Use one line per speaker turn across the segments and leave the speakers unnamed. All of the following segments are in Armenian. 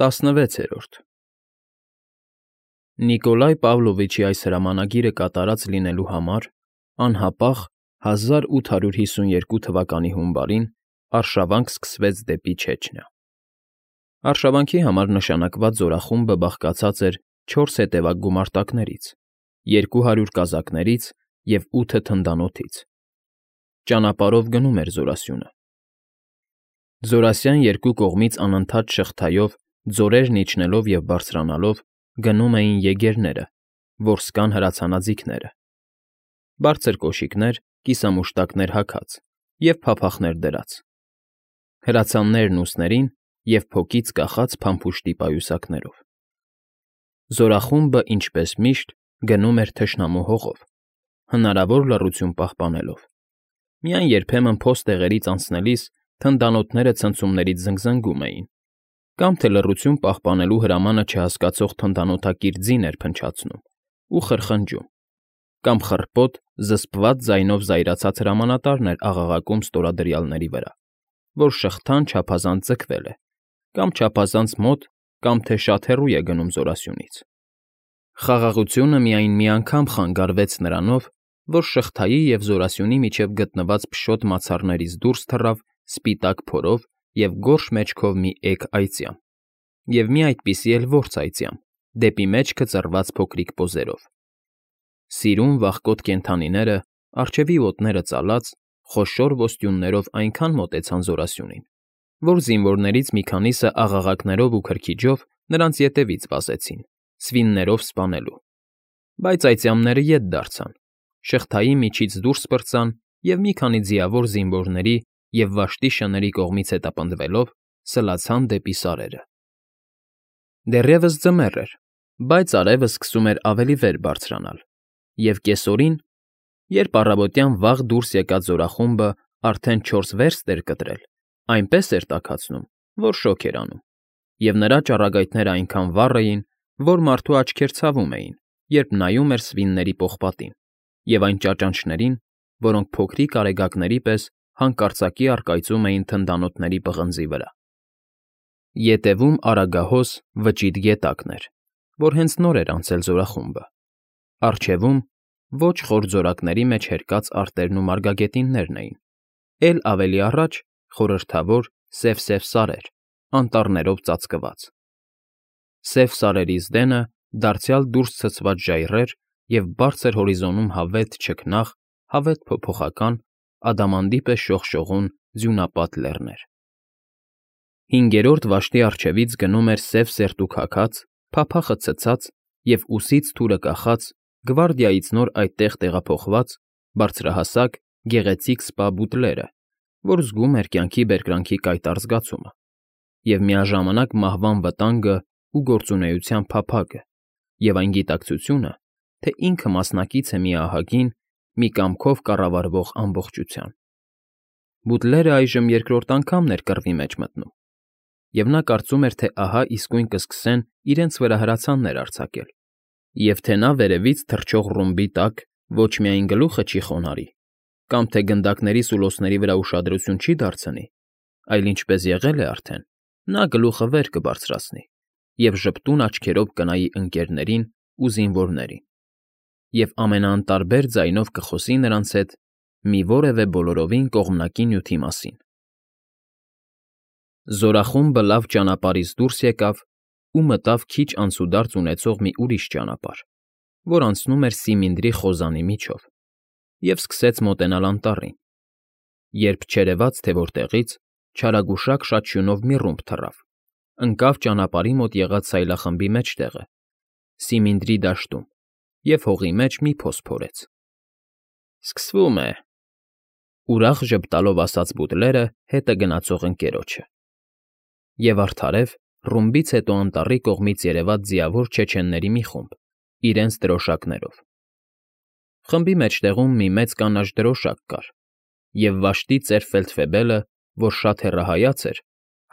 16-րդ Նիկոլայ Պավլովիչի այս հրամանագիրը կատարած լինելու համար անհապաղ 1852 թվականի հունվարին արշավանք սկսվեց դեպի Չեչնիա։ Արշավանքի համար նշանակված զորախումբը բաղկացած էր 4 հետևակ գումարտակներից, 200 կազակներից և 8 թնդանոթից։ Ճանապարհով գնում էր զորասյունը։ Զորասյան երկու կողմից անընդհատ շղթայով, ձորերն իջնելով և բարձրանալով գնում էին եգերները, որսկան հրացանաձիգները, բարձր կոշիկներ, կիսամուշտակներ հագած և փափախներ դրած, հրացաններն ուսներին և փոքից կախած փամփուշտի պայուսակներով։ Զորախումբը, ինչպես միշտ, գնում էր թշնամու հողով, հնարավոր լռություն պահպանելով։ Միայն երբեմն փոստեղերից անցնելիս թնդանոթները ցնցումներից զնգզնգում էին, կամ թե լռություն պահպանելու հրամանը չհասկացող թնդանոթակիր ձին էր փնչացնում ու խրխնջում, կամ խռպոտ, զսպված ձայնով զայրացած հրամանատարն էր աղաղակում ստորադրյալների վրա, որ շղթան չափազանց ձգվել է, կամ չափազանց մոտ, կամ թե շատ հեռու է գնում զորասյունից։ Խաղաղությունը միայն մի անգամ խանգարվեց նրանով, որ շղթայի և զորասյունի միջև գտնված փշոտ մացառներից դուրս թռավ սպիտակ փորով և գորշ մեջքով մի էգ այծյամ, և մի այդպիսի էլ որց այծյամ, դեպի մեջքը ծռված փոքրիկ պոզերով։ Սիրուն, վախկոտ կենդանիները, առջևի ոտները ծալած, խոշոր ոստյուններով այնքան մոտեցան զորասյունին, որ զինվորներից մի քանիսը աղաղակներով ու քրքիջով նրանց ետևից վազեցին, սվիններով սպանելու։ Բայց այծյամները ետ դարձան, շղթայի միջից դուրս պրծան և մի քանի ձիավոր զինվորների և վաշտի շների կողմից հետապնդվելով սլացան դեպի սարերը։ Դեռևս ձմեռ էր, բայց արևը սկսում էր ավելի վեր բարձրանալ, և կեսօրին, երբ առավոտյան վաղ դուրս եկած զորախումբը արդեն 4 վերստ էր կտրել, այնպես էր տաքացնում, որ շոգ էր անում, և նրա ճառագայթները այնքան վառ էին, որ մարդու աչքեր ցավում էին, երբ նայում էր սվինների պողպատին և այն ճաճանճներին, որոնք փոքրիկ արեգակների պես հանկարծակի առկայծում էին թնդանոթների պղնձի վրա։ Ետևում Արագահոս վճիտ գետակն էր, որ հենց նոր էր անցել զորախումբը։ Առջևում ոչ խոր ձորակների մեջ հերկած արտերն ու մարգագետիններն էին, էլ ավելի առաջ խորհրդավոր սև սարեր, անտառներով ծածկված։ Սև սարերից դենը դարձյալ դուրս ցցված ժայռեր և բարձր հորիզոնում հավետ չքնաղ, հավետ փոփոխական, ադամանդի պես շողշողուն ձյունապատ լեռներ։ Հինգերորդ վաշտի առջևից գնում էր սև սերտուքաքած, փափախը ցցած և ուսից թուրը կախած, գվարդիայից նոր այդտեղ տեղափոխված, բարձրահասակ, գեղեցիկ սպա բուտլերը, որ զգում էր կյանքի բերկրանքի կայտառ զգացումը, և միաժամանակ մահվան վտանգը ու գործունեության փափագը, և այն գիտակցությունը, թե ինքը մասնակից է մի ահագին, մի կամքով կառավարվող ամբողջության։ Բուտլերը այժմ երկրորդ անգամն էր կռվի մեջ մտնում, և նա կարծում էր, թե ահա իսկույն կսկսեն իրենց վրա հրացաններ արձակել, և թե նա վերևից թռչող ռումբի տակ ոչ միայն գլուխը չի խոնարհի, կամ թե գնդակների սուլոցների վրա ուշադրություն չի դարձնի, այլ ինչպես եղել է արդեն, նա գլուխը վեր կբարձրացնի և ժպտուն աչքերով կնայի ընկներներին ու զինվորներին, և ամենաանտարբեր ձայնով կխոսի նրանց հետ մի որևէ բոլորովին կողմնակի նյութի մասին։ Զորախումբը լավ ճանապարհից դուրս եկավ ու մտավ քիչ անցուդարձ ունեցող մի ուրիշ ճանապարհ, որ անցնում էր Սիմինդրի խոզանի միջով, և սկսեց մոտենալ անտառին, երբ չերևաց թե որտեղից չարագուշակ շաչյունով մի ռումբ թռավ, ընկավ ճանապարհի մոտ եղած սայլախմբի մեջտեղը, Սիմինդրի դաշտում, և հողի մեջ մի փոս փորեց։ Սկսվում է, ուրախ ժպտալով ասաց բուտլերը հետը գնացող ընկերոջը։ Եվ արդարև ռումբից հետո անտառի կողմից երևաց ձիավոր չեչենների մի խումբ, իրենց դրոշակներով։ Խմբի մեջտեղում մի մեծ կանաչ դրոշակ կար, և վաշտի ծեր ֆելդֆեբելը, որ շատ հեռահայց էր,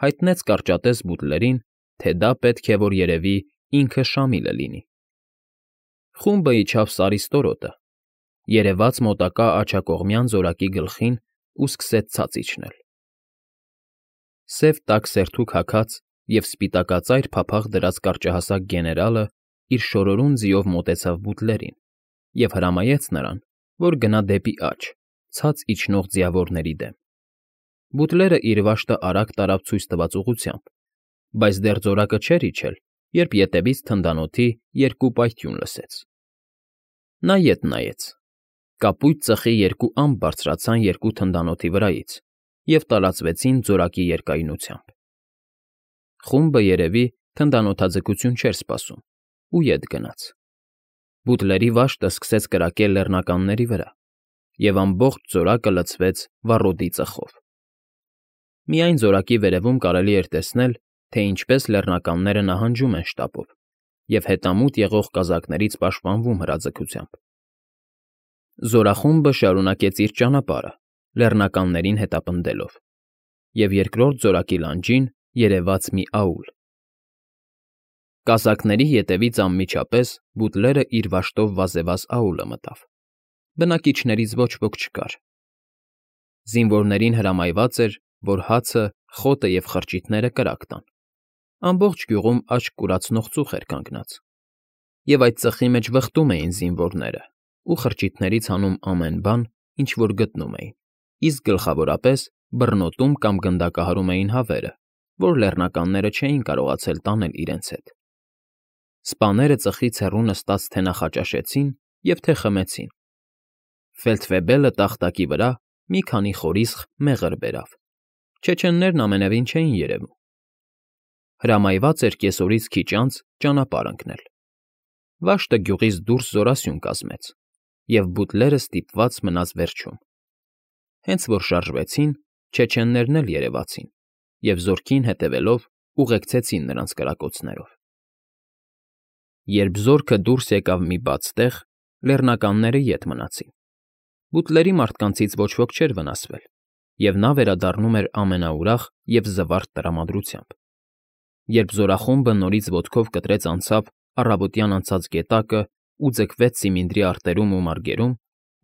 հայտնեց կարճատև բուտլերին, թե դա պետք է որ երևի ինքը Շամիլը լինի։ Խումբը իջավ Սարի ստորոտը, երևաց մոտակա աջակողմյան զորակի գլխին ու սկսեց ցած իջնել։ Սև տաք սերտուք հագած, և սպիտակածայր փափաղ դրած կարճահասակ գեներալը իր շորորուն ձիով մոտեցավ բուտլերին և հրամայեց նրան, որ գնա դեպի աջ, ցած իջնող ձիավորների դեմ։ Բուտլերը իր վաշտը արագ տարավ ցույց տված ուղղությամբ, բայց դեռ ձորակը չէր իջել, երբ ետևից թնդանոթի երկու պայթյուն լսեց։ Նա ետ նայեց. կապույտ ծխի երկու ամպ բարձրացան երկու թնդանոթի վրայից և տարածվեցին ձորակի երկայնությամբ։ Խումբը, երևի, թնդանոթաձգություն չէր սպասում ու ետ գնաց։ Բուտլերի վաշտը սկսեց կրակել լեռնականների վրա, և ամբողջ ձորակը լցվեց վառոդի ծխով։ Միայն ձորակի վերևում կարելի էր տեսնել, թե ինչպես լեռնականները նահանջում են շտապով և հետամուտ եղող կազակներից պաշտպանվում հրաձգությամբ։ Զորախումբը շարունակեց իր ճանապարհը, լեռնականներին հետապնդելով, և երկրորդ զորակի լանջին երևաց մի աուլ։ Կազակների ետևից անմիջապես բուտլերը իր վաշտով վազևազ աուլը մտավ։ Բնակիչներից ոչ ոք չկար։ Զինվորներին հրամայված էր, որ հացը, խոտը և խրճիթները կրակ տան։ Ամբողջ գյուղում աչք կուրացնող ծուխ էր կանգնած, և այդ ծխի մեջ վխտում էին զինվորները ու խրճիթներից հանում ամեն բան, ինչ որ գտնում էին, իսկ գլխավորապես բռնոտում կամ գնդակահարում էին հավերը, որ լեռնականները չէին կարողացել տանել իրենց հետ։ Սպաները ծխից հեռու նստած թե նախաճաշեցին և թե խմեցին։ Ֆեյլդվեբելը տախտակի վրա մի քանի խորիսխ մեղր բերավ։ Չեչեններն ամենևին չէին երևում։ Հրամայված էր կեսօրից քիչ անց ճանապարհ ընկնել։ Վաշտը գյուղից դուրս զորասյուն կազմեց, և բուտլերը ստիպված մնաց վերջում։ Հենց որ շարժվեցին, չեչեններն էլ երևացին և զորքին հետևելով ուղեկցեցին նրանց կրակոցներով։ Երբ զորքը դուրս եկավ մի բաց տեղ, լեռնականները ետ մնացին։ Բուտլերի մարդկանցից ոչ ոք չէր վնասվել, և նա վերադառնում էր ամենաուրախ և զվարթ տրամադրությամբ։ Երբ զորախումբը նորից ոտքով կտրեց անցավ առավոտյան անցած գետակը ու ձգվեց սիմինդրի արտերում ու մարգերում,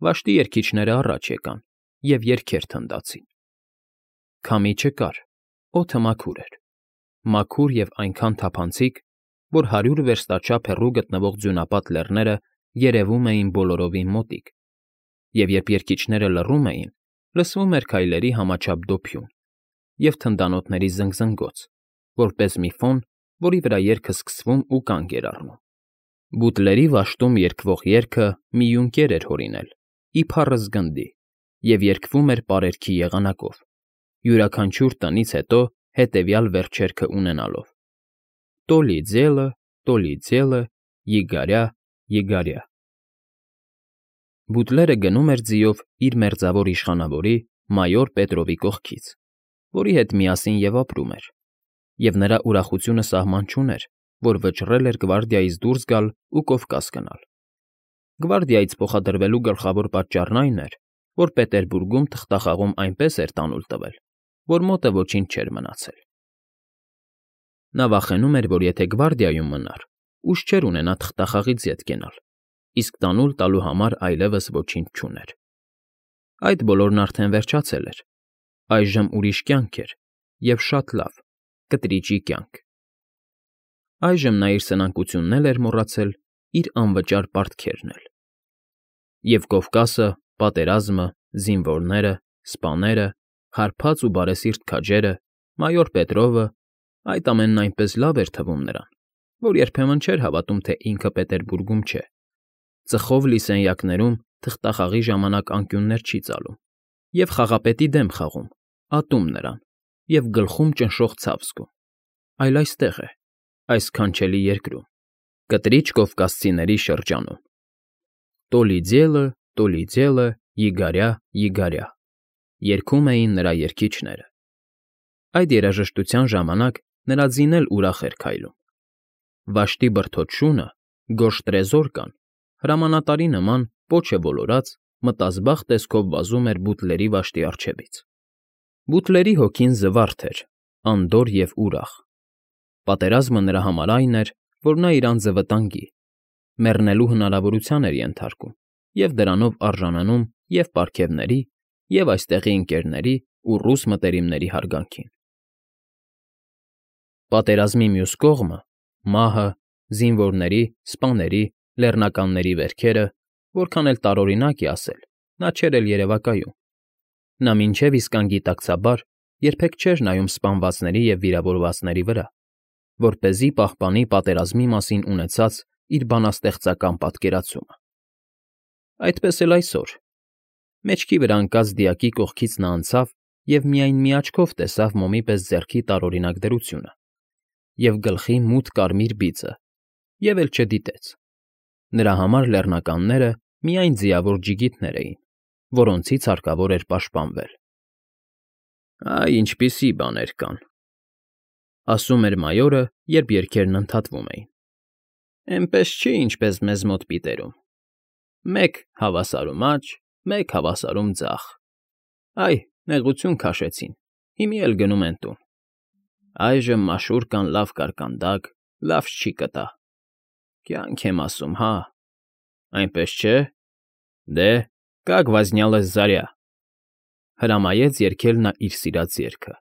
վաշտի երգիչները առաջ եկան և երգեր թնդացին։ Քամի չկար, օդը մաքուր էր, մաքուր և այնքան թափանցիկ, որ 100 վերստաչափ հեռու գտնվող ձյունապատ լեռները երևում էին բոլորովին մոտիկ, և երբ երգիչները լռում էին, լսվում էր քայլերի համաչափ դոփյուն և թնդանոթների զնգզնգոց, որպես մի ֆոն, որի վրա երգը սկսվում ու կանգ էր առնում։ Բուտլերի վաշտում երգվող երգը մի յունկեր էր հորինել, իբառը զգնդի, և երգվում էր պարերքի եղանակով, յուրաքանչյուր տնից հետո հետևյալ վերջերքը ունենալով. «Տոլի ձելը, Յիգարյա, Յիգարյա»։ Բուտլերը գնում էր ձիով իր մերձավոր իշխանավորի մայոր Պետրովի կողքից, որի հետ միասին և ապրում էր, և նրա ուրախությունը սահման չուներ, որ վճռել էր գվարդիայից դուրս գալ ու Կովկաս գնալ։ Գվարդիայից փոխադրվելու գլխավոր պատճառն այն էր, որ Պետերբուրգում թղթախաղում այնպես էր տանուլ տվել, որ մոտը ոչինչ չէր մնացել։ Նա վախենում էր, որ եթե գվարդիայում մնար, ուժ չէր ունենա թղթախաղից ետ կենալ, իսկ տանուլ տալու համար այլևս ոչինչ չուներ։ Այդ բոլորն արդեն վերջացել էր։ Այժմ ուրիշ կյանք էր, և շատ լավ, կտրիճի կյանք։ Այժմ նա իր սնանկությունն էլ էր մոռացել, իր անվճար պարտքերն էլ։ Եվ Կովկասը, պատերազմը, զինվորները, սպաները, հարբած ու բարեսիրտ քաջերը, մայոր Պետրովը, այդ ամենն այնպես լավ էր թվում նրան, որ երբեմն չէր հավատում, թե ինքը Պետերբուրգում չէ, ծխով լի սենյակներում թղթախաղի ժամանակ անկյուններ չի ծալում, և խաղապետի դեմ խաղում, ատում նրան, և գլխում ճնշող ցավ զգում, այլ այստեղ է, այս քանչելի երկրում, կտրիչ կովկասցիների շրջանում։ Տոլի ձելը, Յիգարյա, Յիգարյա, երգում էին նրա երգիչները։ Այդ երաժշտության ժամանակ նրա ձին էլ ուրախ էր քայլում։ Վաշտի բրդոտ շունը, գորշ տրեզորկան, հրամանատարի նման պոչը ոլորած, մտազբաղ տեսքով վազում էր բուտլերի վաշտի առջևից։ Բուտլերի հոգին զվարթ էր, անդորր և ուրախ։ Պատերազմը նրա համար այն էր, որ նա իր անձը վտանգի, մեռնելու հնարավորության էր ենթարկում և դրանով արժանանում և պարգևների, և այստեղի ընկերների ու ռուս մտերիմների հարգանքին։ Պատերազմի մյուս կողմը՝ մահը, զինվորների, սպաների, լեռնականների վերքերը, որքան էլ տարօրինակ է ասել, նա չէր էլ երևակայում։ Նա մինչև իսկ անգիտակցաբար երբեք չէր նայում սպանվածների և վիրավորվածների վրա, որպեսզի պահպանի պատերազմի մասին ունեցած իր բանաստեղծական պատկերացումը։ Այդպես էլ այսօր։ Մեջքի վրա ընկած դիակի կողքից նա անցավ և միայն մի աչքով տեսավ մոմի պես ձեռքի տարօրինակ դրությունը և գլխի մութ կարմիր բիծը և էլ չդիտեց։ Նրա համար լեռնականները միայն ձիավոր ջիգիտներ էին, որոնցից հարկավոր էր պաշտպանվել։ «Այ ինչպիսի բաներ կան,֊ ասում էր մայորը, երբ երգերն ընդհատվում էին։֊ Էնպես չի, ինչպես մեզ մոտ պիտերում. մեկ հավասարում աջ, մեկ հավասարում ձախ։ Այ, նեղություն քաշեցին, հիմի էլ գնում են տուն։ Այժմ մաշուր կան լավ կարկանդակ, լավ չի կտա։ Կյանք եմ ասում, հա։ Այնպես չէ՞։ Դե, կաք վազնյալս Զարյա…֊ հրամայեց երգել նա իր սիրած երգը։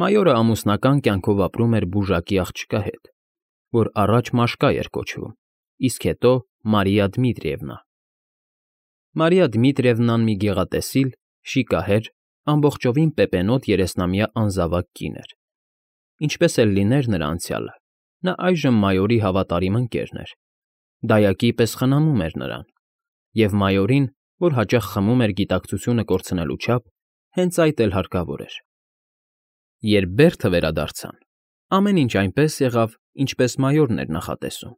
Մայորը ամուսնական կյանքով ապրում էր բուժակի աղջկա հետ, որ առաջ Մաշկա էր կոչվում, իսկ հետո Մարիա Դմիտրիևնա։ Մարիա Դմիտրիևնան մի գեղատեսիլ, շիկահեր, ամբողջովին պեպենոտ երեսնամյա անզավակ կին էր։ Ինչպես էլ լիներ նրա անցյալը, նա այժմ մայորի հավատարիմ ընկերն էր, դայակի պես խնամում էր նրան, և մայորին, որ հաճախ խմում էր գիտակցությունը կորցնելու չափ, հենց այդ էլ հարկավոր էր։ Երբ բերդը վերադարձան, ամեն ինչ այնպես եղավ, ինչպես մայորն էր նախատեսում։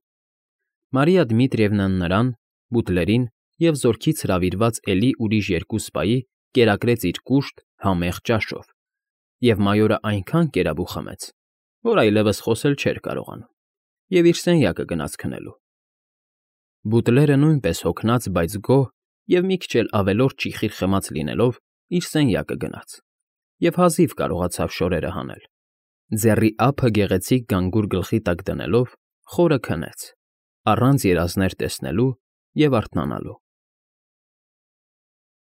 Մարիա Դմիտրիևնան նրան, բուտլերին և զորքից հրավիրված էլի ուրիշ երկու սպայի կերակրեց իր կուշտ, համեղ ճաշով, և մայորը այնքան կերավ ու խմեց, որ այլևս խոսել չէր կարողանում, և իր սենյակը գնաց քնելու։ Բուտլերը նույնպես հոգնած, բայց գոհ և մի քիչ էլ ավելորդ ճիխիր խմած լինելով, իր սենյակը գնաց և հազիվ կարողացավ շորերը հանել։ Ձեռի ափը գեղեցիկ գանգուր գլխի տակ դնելով՝ խորը քնեց, առանց երազներ տեսնելու և արթնանալու։